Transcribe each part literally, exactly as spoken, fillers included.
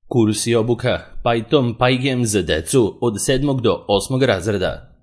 Kurs i obuka Python PyGame za decu od sedmog do osmog razreda.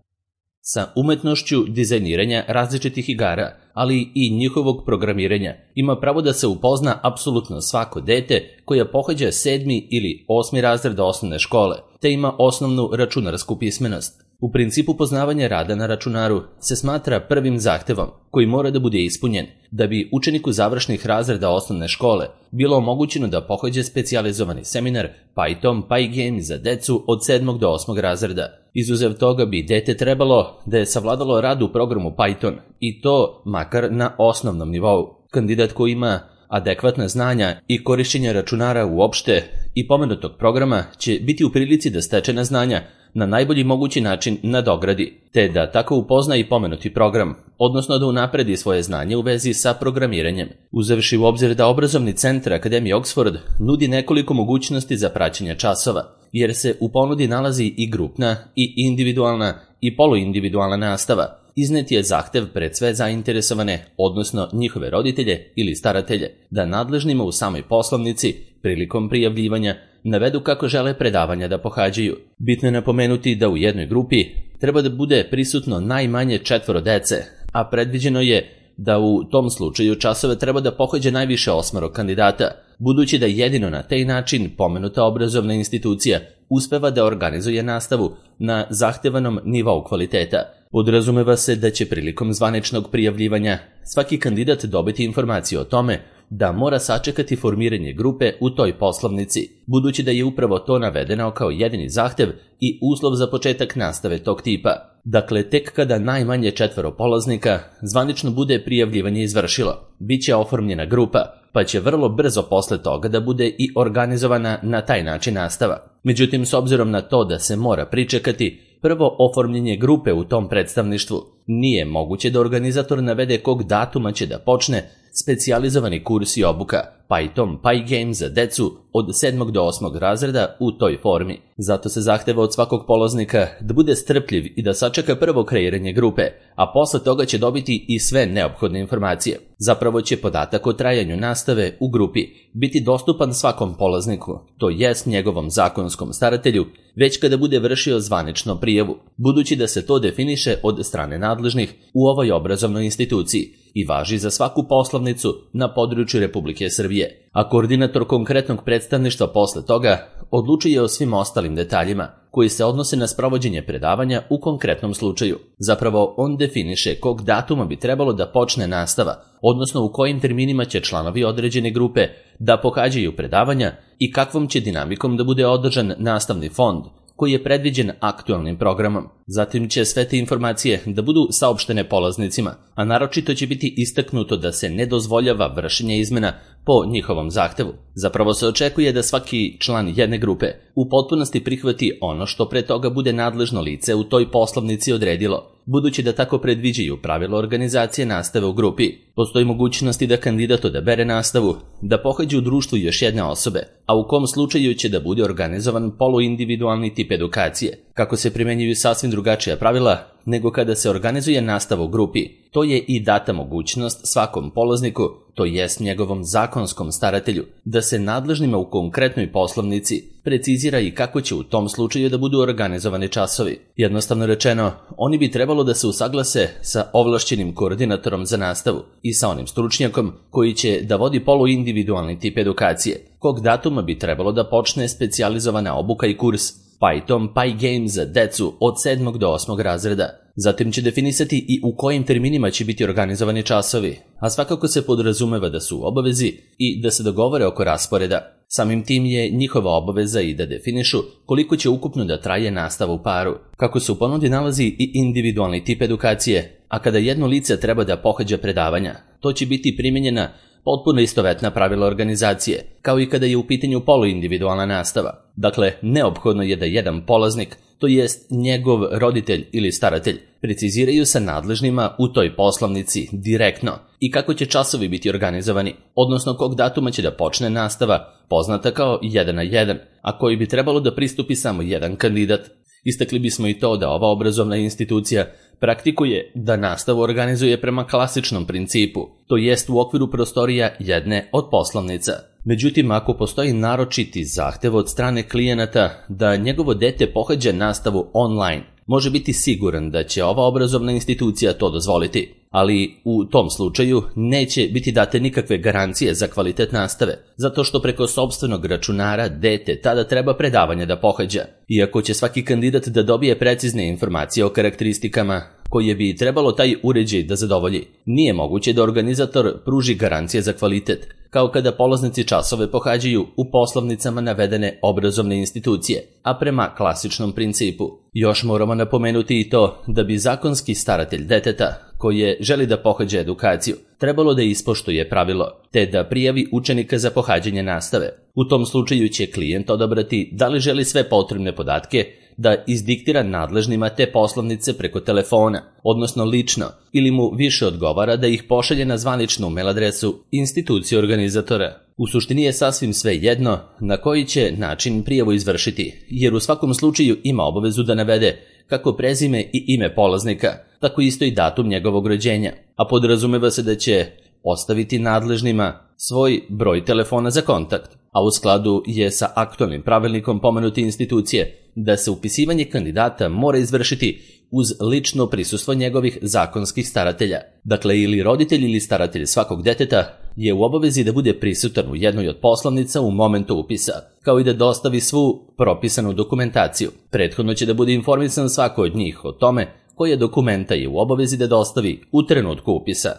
Sa umetnošću dizajniranja različitih igara, ali i njihovog programiranja, ima pravo da se upozna apsolutno svako dete koja pohađa sedmi ili osmi razred osnovne škole, te ima osnovnu računarsku pismenost. U principu poznavanja rada na računaru se smatra prvim zahtevom koji mora da bude ispunjen da bi učeniku završnih razreda osnovne škole bilo omogućeno da pohađa specijalizovani seminar Python PyGame za decu od sedmog do osmog razreda. Izuzev toga bi dete trebalo da je savladalo rad u programu Python i to makar na osnovnom nivou. Kandidat koji ima adekvatna znanja i korišćenja računara uopšte i pomenutog programa će biti u prilici da stečena znanja na najbolji mogući način nadogradi, te da tako upozna i pomenuti program, odnosno da unapredi svoje znanje u vezi sa programiranjem. Uzevši u obzir da obrazovni centar Akademije Oxford nudi nekoliko mogućnosti za praćenje časova, jer se u ponudi nalazi i grupna, i individualna, i poluindividualna nastava, iznet je zahtev pred sve zainteresovane, odnosno njihove roditelje ili staratelje, da nadležnima u samoj poslovnici, prilikom prijavljivanja, navedu kako žele predavanja da pohađaju. Bitno je napomenuti da u jednoj grupi treba da bude prisutno najmanje četvoro dece, a predviđeno je da u tom slučaju časove treba da pohađa najviše osmoro kandidata, budući da jedino na taj način pomenuta obrazovna institucija uspeva da organizuje nastavu na zahtevanom nivou kvaliteta. Podrazumeva se da će prilikom zvaničnog prijavljivanja svaki kandidat dobiti informaciju o tome da mora sačekati formiranje grupe u toj poslovnici, budući da je upravo to navedeno kao jedini zahtev i uslov za početak nastave tog tipa. Dakle, tek kada najmanje četvoro polaznika zvanično bude prijavljivanje izvršilo, bit će oformljena grupa, pa će vrlo brzo posle toga da bude i organizovana na taj način nastava. Međutim, s obzirom na to da se mora pričekati prvo oformljenje grupe u tom predstavništvu, nije moguće da organizator navede kog datuma će da počne specijalizovani kurs i obuka Python PyGame za decu od sedmog do osmog razreda u toj formi. Zato se zahteva od svakog polaznika da bude strpljiv i da sačeka prvo kreiranje grupe, a posle toga će dobiti i sve neophodne informacije. Zapravo će podatak o trajanju nastave u grupi biti dostupan svakom polazniku, to jest njegovom zakonskom staratelju, već kada bude vršio zvanično prijavu, budući da se to definiše od strane nadležnih u ovoj obrazovnoj instituciji i važi za svaku poslovnicu na području Republike Srbije, a koordinator konkretnog predstavništva posle toga odlučuje o svim ostalim detaljima koji se odnose na sprovođenje predavanja u konkretnom slučaju. Zapravo, on definiše kog datuma bi trebalo da počne nastava, odnosno u kojim terminima će članovi određene grupe da pohađaju predavanja i kakvom će dinamikom da bude održan nastavni fond koji je predviđen aktualnim programom. Zatim će sve te informacije da budu saopštene polaznicima, a naročito će biti istaknuto da se ne dozvoljava vršenje izmena po njihovom zahtevu. Zapravo se očekuje da svaki član jedne grupe u potpunosti prihvati ono što pre toga bude nadležno lice u toj poslovnici odredilo, budući da tako predviđaju pravilo organizacije nastave u grupi. Postoji mogućnosti da kandidat odabere nastavu da pohađa u društvu još jedne osobe, a u kom slučaju će da bude organizovan poluindividualni tip edukacije, kako se primenjuju sasvim drugačija pravila nego kada se organizuje nastava u grupi. To je i data mogućnost svakom polazniku, to jest njegovom zakonskom staratelju, da se nadležnima u konkretnoj poslovnici precizira i kako će u tom slučaju da budu organizovani časovi. Jednostavno rečeno, oni bi trebalo da se usaglase sa ovlašćenim koordinatorom za nastavu i sa onim stručnjakom koji će da vodi poluindividualni tip edukacije. Kog datuma bi trebalo da počne specijalizovana obuka i kurs Python PyGame za decu od sedmog do osmog razreda. Zatim će definisati i u kojim terminima će biti organizovani časovi, a svakako se podrazumeva da su u obavezi i da se dogovore oko rasporeda. Samim tim je njihova obaveza i da definišu koliko će ukupno da traje nastava u paru. Kako se u ponudi nalazi i individualni tip edukacije, a kada jedno lice treba da pohađa predavanja, to će biti primjenjena potpuno istovetna pravila organizacije, kao i kada je u pitanju poluindividualna nastava. Dakle, neophodno je da jedan polaznik, to jest njegov roditelj ili staratelj, preciziraju sa nadležnima u toj poslovnici direktno i kako će časovi biti organizovani, odnosno kog datuma će da počne nastava, poznata kao jedan na jedan, a koji bi trebalo da pristupi samo jedan kandidat. Istakli bismo i to da ova obrazovna institucija praktikuje da nastavu organizuje prema klasičnom principu, to jest u okviru prostorija jedne od poslovnica. Međutim, ako postoji naročiti zahtev od strane klijenata da njegovo dete pohađa nastavu online, može biti siguran da će ova obrazovna institucija to dozvoliti, ali u tom slučaju neće biti date nikakve garancije za kvalitet nastave, zato što preko sopstvenog računara dete tada treba predavanje da pohađa. Iako će svaki kandidat da dobije precizne informacije o karakteristikama koje bi trebalo taj uređaj da zadovolji, nije moguće da organizator pruži garancije za kvalitet, kao kada polaznici časove pohađaju u poslovnicama navedene obrazovne institucije, a prema klasičnom principu. Još moramo napomenuti i to da bi zakonski staratelj deteta, koje želi da pohađa edukaciju, trebalo da ispoštuje pravilo, te da prijavi učenika za pohađanje nastave. U tom slučaju će klijent odabrati da li želi sve potrebne podatke da izdiktira nadležnima te poslovnice preko telefona, odnosno lično, ili mu više odgovara da ih pošalje na zvaničnu mail adresu institucije organizatora. U suštini je sasvim sve jedno na koji će način prijavu izvršiti, jer u svakom slučaju ima obavezu da navede kako prezime i ime polaznika, tako isto i datum njegovog rođenja, a podrazumeva se da će ostaviti nadležnima svoj broj telefona za kontakt, a u skladu je sa aktualnim pravilnikom pomenute institucije da se upisivanje kandidata mora izvršiti uz lično prisustvo njegovih zakonskih staratelja. Dakle, ili roditelj ili staratelj svakog deteta je u obavezi da bude prisutan u jednoj od poslovnica u momentu upisa, kao i da dostavi svu propisanu dokumentaciju. Prethodno će da bude informisan svako od njih o tome koje dokumenta je u obavezi da dostavi u trenutku upisa.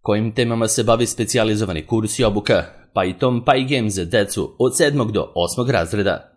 Kojim temama se bavi specijalizovani kurs i obuka Python PyGame za decu od sedmog do osmog razreda?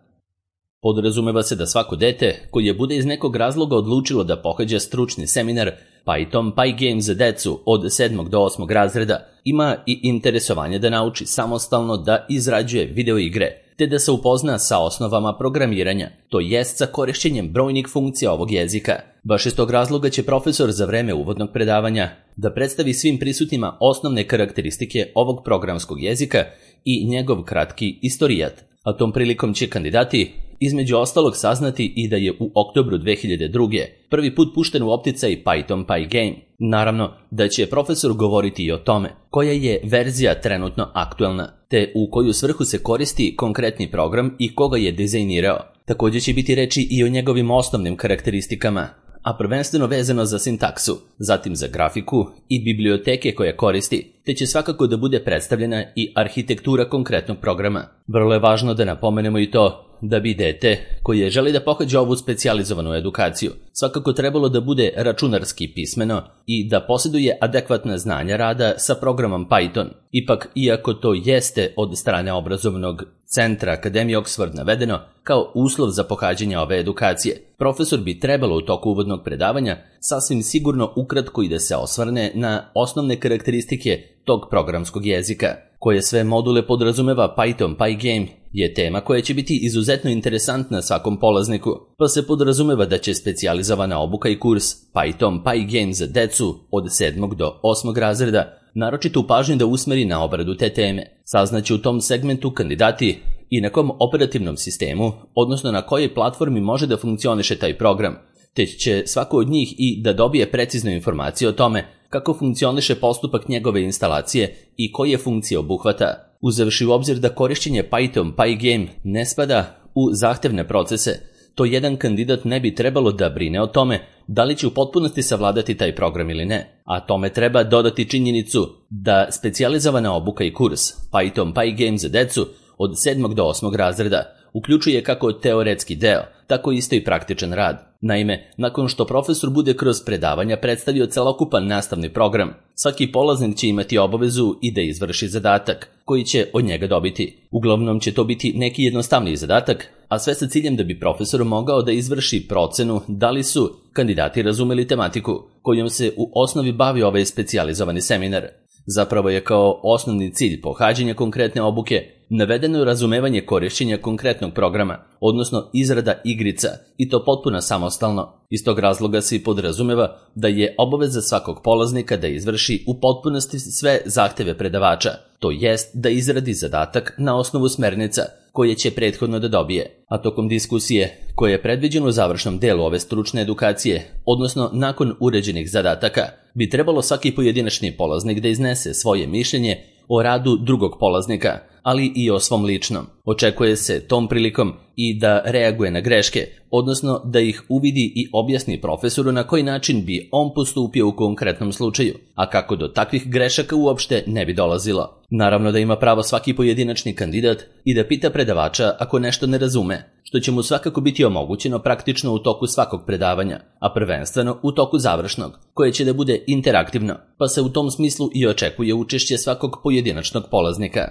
Podrazumeva se da svako dete koje bude iz nekog razloga odlučilo da pohađa stručni seminar Python PyGame za decu od sedmog do osmog razreda ima i interesovanje da nauči samostalno da izrađuje videoigre, te da se upozna sa osnovama programiranja, to jest sa korišćenjem brojnih funkcija ovog jezika. Baš iz tog razloga će profesor za vreme uvodnog predavanja da predstavi svim prisutnima osnovne karakteristike ovog programskog jezika i njegov kratki istorijat. A tom prilikom će kandidati između ostalog saznati i da je u oktobru dve hiljade druge. prvi put pušten u opticaj Python PyGame. Naravno da će profesor govoriti i o tome koja je verzija trenutno aktuelna, te u koju svrhu se koristi konkretni program i koga je dizajnirao. Također će biti reči i o njegovim osnovnim karakteristikama, a prvenstveno vezano za sintaksu, zatim za grafiku i biblioteke koje koristi, te će svakako da bude predstavljena i arhitektura konkretnog programa. Vrlo je važno da napomenemo i to da bi dete koje želi da pohađa ovu specijalizovanu edukaciju svakako trebalo da bude računarski pismeno i da posjeduje adekvatna znanja rada sa programom Python. Ipak, iako to jeste od strane obrazovnog centra Akademije Oxford navedeno kao uslov za pohađanje ove edukacije, profesor bi trebalo u toku uvodnog predavanja sasvim sigurno ukratko i da se osvrne na osnovne karakteristike tog programskog jezika. Koje sve module podrazumeva Python PyGame je tema koja će biti izuzetno interesantna svakom polazniku, pa se podrazumeva da će specijalizovana obuka i kurs Python PyGame za decu od sedmog do osmog razreda naročito u pažnju da usmeri na obradu te teme. Saznaće u tom segmentu kandidati i na kom operativnom sistemu, odnosno na kojoj platformi može da funkcioniše taj program, te će svako od njih i da dobije preciznu informaciju o tome kako funkcioniše postupak njegove instalacije i koje funkcije obuhvata. Uzevši u obzir da korišćenje Python PyGame ne spada u zahtevne procese, to jedan kandidat ne bi trebalo da brine o tome da li će u potpunosti savladati taj program ili ne, a tome treba dodati činjenicu da specijalizovana obuka i kurs Python PyGame za decu od sedmog do osmog razreda uključuje kako teoretski deo, tako isto i praktičan rad. Naime, nakon što profesor bude kroz predavanja predstavio celokupan nastavni program, svaki polaznik će imati obavezu i da izvrši zadatak koji će od njega dobiti. Uglavnom će to biti neki jednostavniji zadatak, a sve sa ciljem da bi profesor mogao da izvrši procenu da li su kandidati razumeli tematiku kojom se u osnovi bavi ovaj specijalizovani seminar. Zapravo je kao osnovni cilj pohađanja konkretne obuke navedeno razumevanje korišćenja konkretnog programa, odnosno izrada igrica, i to potpuno samostalno. Iz tog razloga se i podrazumeva da je obaveza svakog polaznika da izvrši u potpunosti sve zahteve predavača, to jest da izradi zadatak na osnovu smernica koje će prethodno da dobije, a tokom diskusije, koje je predviđeno u završnom delu ove stručne edukacije, odnosno nakon uređenih zadataka, bi trebalo svaki pojedinačni polaznik da iznese svoje mišljenje o radu drugog polaznika, ali i o svom ličnom. Očekuje se tom prilikom i da reaguje na greške, odnosno da ih uvidi i objasni profesoru na koji način bi on postupio u konkretnom slučaju, a kako do takvih grešaka uopšte ne bi dolazilo. Naravno da ima pravo svaki pojedinačni kandidat i da pita predavača ako nešto ne razume, što će mu svakako biti omogućeno praktično u toku svakog predavanja, a prvenstveno u toku završnog, koje će da bude interaktivno, pa se u tom smislu i očekuje učešće svakog pojedinačnog polaznika.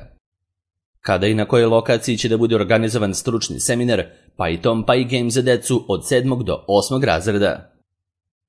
Kada i na kojoj lokaciji će da bude organizovan stručni seminar Python PyGame za decu od sedmog do osmog razreda?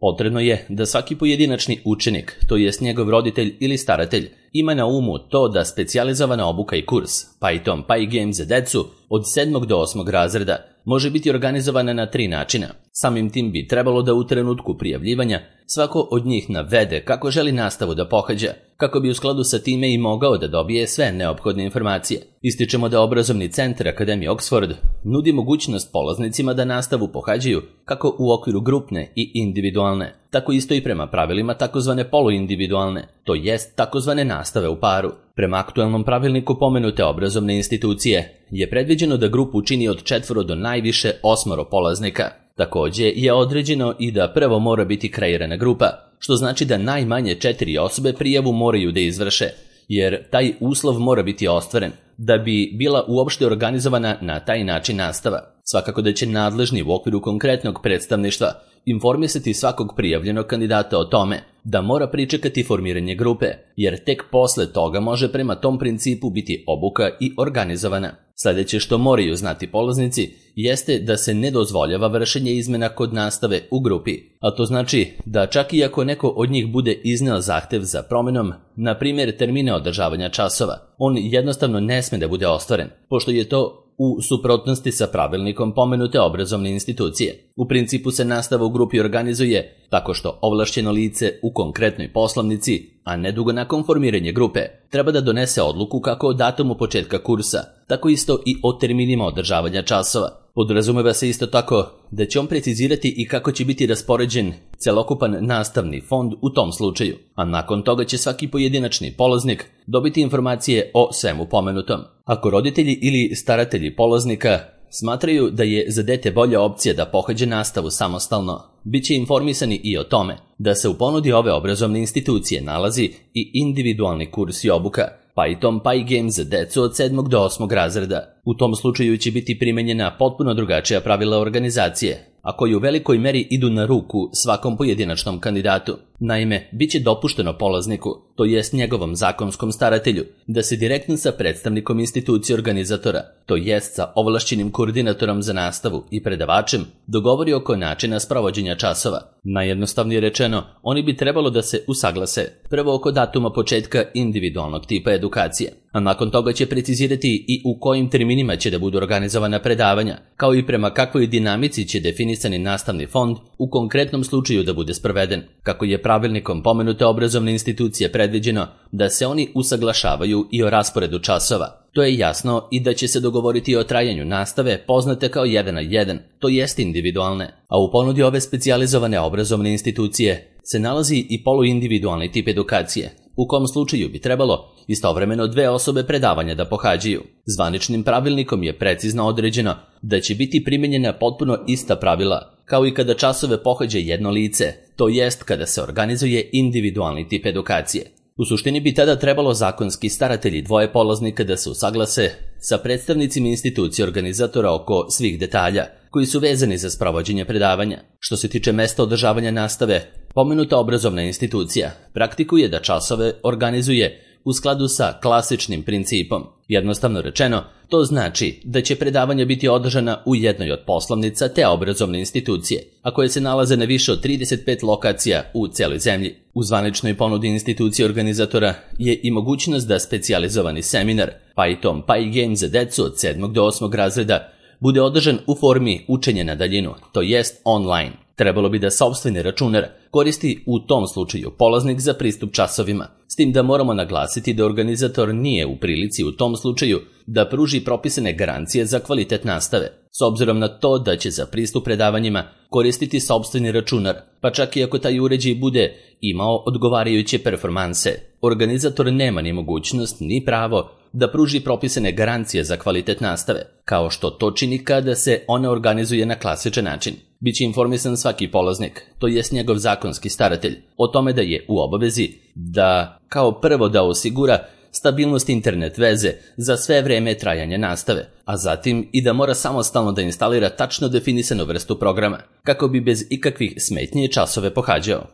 Potrebno je da svaki pojedinačni učenik, to jest njegov roditelj ili staratelj, ima na umu to da specijalizovana obuka i kurs Python PyGame za decu od sedmog do osmog razreda može biti organizovana na tri načina. Samim tim bi trebalo da u trenutku prijavljivanja svako od njih navede kako želi nastavu da pohađa, kako bi u skladu sa time i mogao da dobije sve neophodne informacije. Ističemo da obrazovni centar Akademije Oxford nudi mogućnost polaznicima da nastavu pohađaju kako u okviru grupne i individualne, tako isto i prema pravilima takozvane poluindividualne, to jest takozvane nastave u paru. Prema aktuelnom pravilniku pomenute obrazovne institucije je predviđeno da grupu čini od četvoro do najviše osmoro polaznika. Takođe je određeno i da prvo mora biti kreirana grupa, što znači da najmanje četiri osobe prijavu moraju da izvrše, jer taj uslov mora biti ostvaren da bi bila uopšte organizovana na taj način nastava. Svakako da će nadležni u okviru konkretnog predstavništva informisati svakog prijavljenog kandidata o tome da mora pričekati formiranje grupe, jer tek posle toga može prema tom principu biti obuka i organizovana. Sljedeće što moraju znati polaznici jeste da se ne dozvoljava vršenje izmena kod nastave u grupi, a to znači da čak i ako neko od njih bude izneo zahtev za promenom, na primjer termine održavanja časova, on jednostavno ne sme da bude ostvaren, pošto je to u suprotnosti sa pravilnikom pomenute obrazovne institucije. U principu se nastava u grupi organizuje tako što ovlašćeno lice u konkretnoj poslovnici, a nedugo nakon formiranja grupe, treba da donese odluku kako o datumu početka kursa, tako isto i o terminima održavanja časova. Podrazumeva se isto tako da će on precizirati i kako će biti raspoređen celokupan nastavni fond u tom slučaju, a nakon toga će svaki pojedinačni polaznik dobiti informacije o svemu pomenutom. Ako roditelji ili staratelji polaznika smatraju da je za dete bolja opcija da pohađe nastavu samostalno, bit će informisani i o tome da se u ponudi ove obrazovne institucije nalazi i individualni kurs i obuka Python PyGame za decu od sedmog do osmog razreda. U tom slučaju će biti primenjena potpuno drugačija pravila organizacije, a koji u velikoj meri idu na ruku svakom pojedinačnom kandidatu. Naime, bit će dopušteno polazniku, to jest njegovom zakonskom staratelju, da se direktno sa predstavnikom institucije organizatora, to jest sa ovlašćenim koordinatorom za nastavu i predavačem, dogovori oko načina sprovođenja časova. Najjednostavnije rečeno, oni bi trebalo da se usaglase prvo oko datuma početka individualnog tipa edukacije, a nakon toga će precizirati i u kojim terminima će da budu organizovana predavanja, kao i prema kakvoj dinamici će definisani nastavni fond u konkretnom slučaju da bude sproveden. Kako je pravilnikom pomenute obrazovne institucije predviđeno da se oni usaglašavaju i o rasporedu časova, to je jasno i da će se dogovoriti o trajanju nastave poznate kao jedan na jedan, to jest individualne, a u ponudi ove specijalizovane obrazovne institucije se nalazi i poluindividualni tip edukacije, u kom slučaju bi trebalo istovremeno dve osobe predavanja da pohađaju. Zvaničnim pravilnikom je precizno određeno da će biti primenjena potpuno ista pravila, kao i kada časove pohađa jedno lice, to jest kada se organizuje individualni tip edukacije. U suštini bi tada trebalo zakonski staratelji dvoje polaznika da se usaglase sa predstavnicima institucije organizatora oko svih detalja koji su vezani za sprovođenje predavanja. Što se tiče mesta održavanja nastave, pomenuta obrazovna institucija praktikuje da časove organizuje u skladu sa klasičnim principom. Jednostavno rečeno, to znači da će predavanja biti održana u jednoj od poslovnica te obrazovne institucije, a koje se nalaze na više od trideset pet lokacija u celoj zemlji. U zvaničnoj ponudi institucije organizatora je i mogućnost da specijalizovani seminar Python PyGame za decu od sedmog do osmog razreda bude održan u formi učenja na daljinu, to jest online. Trebalo bi da sopstveni računar koristi u tom slučaju polaznik za pristup časovima, s tim da moramo naglasiti da organizator nije u prilici u tom slučaju da pruži propisane garancije za kvalitet nastave, s obzirom na to da će za pristup predavanjima koristiti sopstveni računar, pa čak i ako taj uređaj bude imao odgovarajuće performanse. Organizator nema ni mogućnost ni pravo da pruži propisane garancije za kvalitet nastave, kao što to čini kada se ona organizuje na klasičan način. Biće informisan svaki polaznik, to jest njegov zakonski staratelj, o tome da je u obavezi da kao prvo da osigura stabilnost internet veze za sve vreme trajanja nastave, a zatim i da mora samostalno da instalira tačno definisanu vrstu programa, kako bi bez ikakvih smetnje časove pohađao.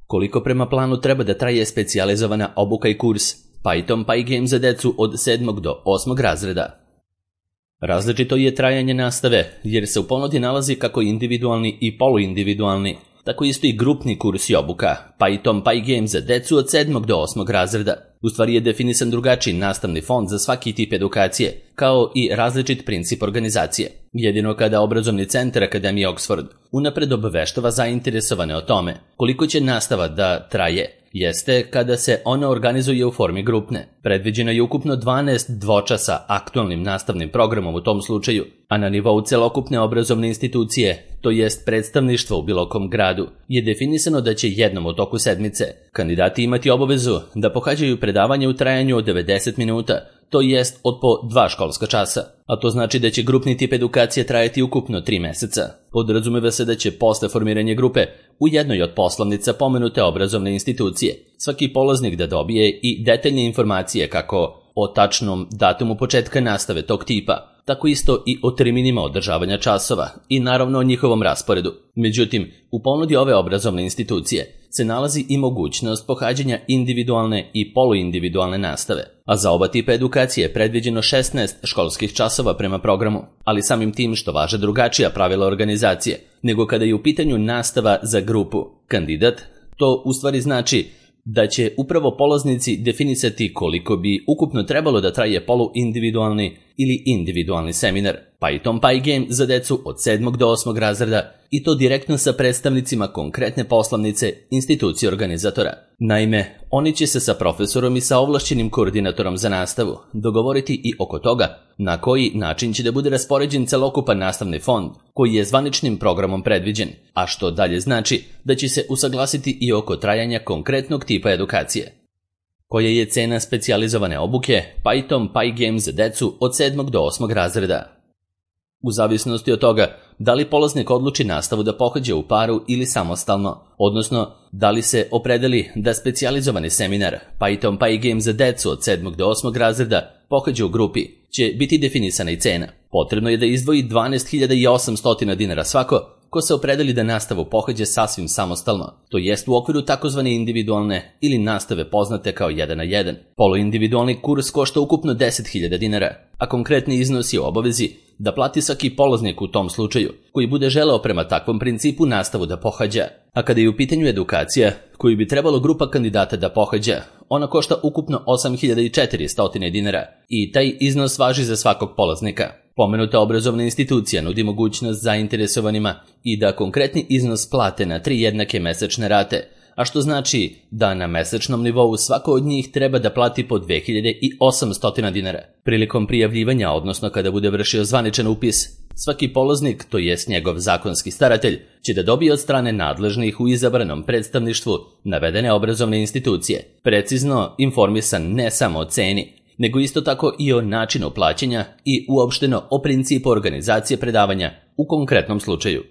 Koliko prema planu treba da traje specijalizovana obuka i kurs Python PyGame za decu od sedmog do osmog razreda? Različito je trajanje nastave, jer se u ponudi nalazi kako individualni i poluindividualni, tako isto i grupni kurs i obuka Python PyGame za decu od sedmog do osmog razreda. U stvari je definisan drugačiji nastavni fond za svaki tip edukacije, kao i različit princip organizacije. Jedino kada obrazovni centar Akademije Oxford unapred obaveštava zainteresovane o tome koliko će nastava da traje, jeste kada se ona organizuje u formi grupne. Predviđeno je ukupno dvanaest dvočasa aktualnim nastavnim programom u tom slučaju, a na nivou celokupne obrazovne institucije, to jest predstavništva u bilo kom gradu, je definisano da će jednom u toku sedmice kandidati imati obavezu da pohađaju predavanje u trajanju od devedeset minuta, to jest od po dva školska časa, a to znači da će grupni tip edukacije trajati ukupno tri meseca. Podrazumeva se da će posle formiranja grupe u jednoj od poslovnica pomenute obrazovne institucije svaki polaznik da dobije i detaljne informacije kako o tačnom datumu početka nastave tog tipa, tako isto i o terminima održavanja časova i naravno o njihovom rasporedu. Međutim, u ponudi ove obrazovne institucije se nalazi i mogućnost pohađanja individualne i poluindividualne nastave, a za oba tipa edukacije je predviđeno šesnaest školskih časova prema programu, ali samim tim što važe drugačija pravila organizacije nego kada je u pitanju nastava za grupu kandidat, to u stvari znači da će upravo polaznici definisati koliko bi ukupno trebalo da traje poluindividualni ili individualni seminar Python PyGame za decu od sedmog do osmog razreda i to direktno sa predstavnicima konkretne poslovnice institucije organizatora. Naime, oni će se sa profesorom i sa ovlašćenim koordinatorom za nastavu dogovoriti i oko toga na koji način će da bude raspoređen celokupan nastavni fond koji je zvaničnim programom predviđen, a što dalje znači da će se usaglasiti i oko trajanja konkretnog tipa edukacije. Koja je cena specijalizovane obuke Python PyGame za decu od sedmog do osmog razreda? U zavisnosti od toga da li polaznik odluči nastavu da pohađa u paru ili samostalno, odnosno da li se opredeli da specijalizovani seminar Python PyGame za decu od sedmog do osmog razreda pohađa u grupi, će biti definisana i cena. Potrebno je da izdvoji dvanaest hiljada osamsto dinara svako ko se opredeli da nastavu pohađa sasvim samostalno, to jest u okviru takozvane individualne ili nastave poznate kao jedan na jedan. Poluindividualni kurs košta ukupno deset hiljada dinara, a konkretni iznos je u obavezi da plati svaki polaznik u tom slučaju, koji bude želeo prema takvom principu nastavu da pohađa. A kada je u pitanju edukacija, koju bi trebalo grupa kandidata da pohađa, ona košta ukupno osam hiljada četiristo dinara i taj iznos važi za svakog polaznika. Pomenuta obrazovna institucija nudi mogućnost zainteresovanima i da konkretni iznos plate na tri jednake mesečne rate, a što znači da na mesečnom nivou svako od njih treba da plati po dve hiljade osamsto dinara. Prilikom prijavljivanja, odnosno kada bude vršio zvaničan upis, svaki polaznik, to jest njegov zakonski staratelj, će da dobije od strane nadležnih u izabranom predstavništvu navedene obrazovne institucije precizno informisan ne samo o ceni, nego isto tako i o načinu plaćanja i uopšteno o principu organizacije predavanja u konkretnom slučaju.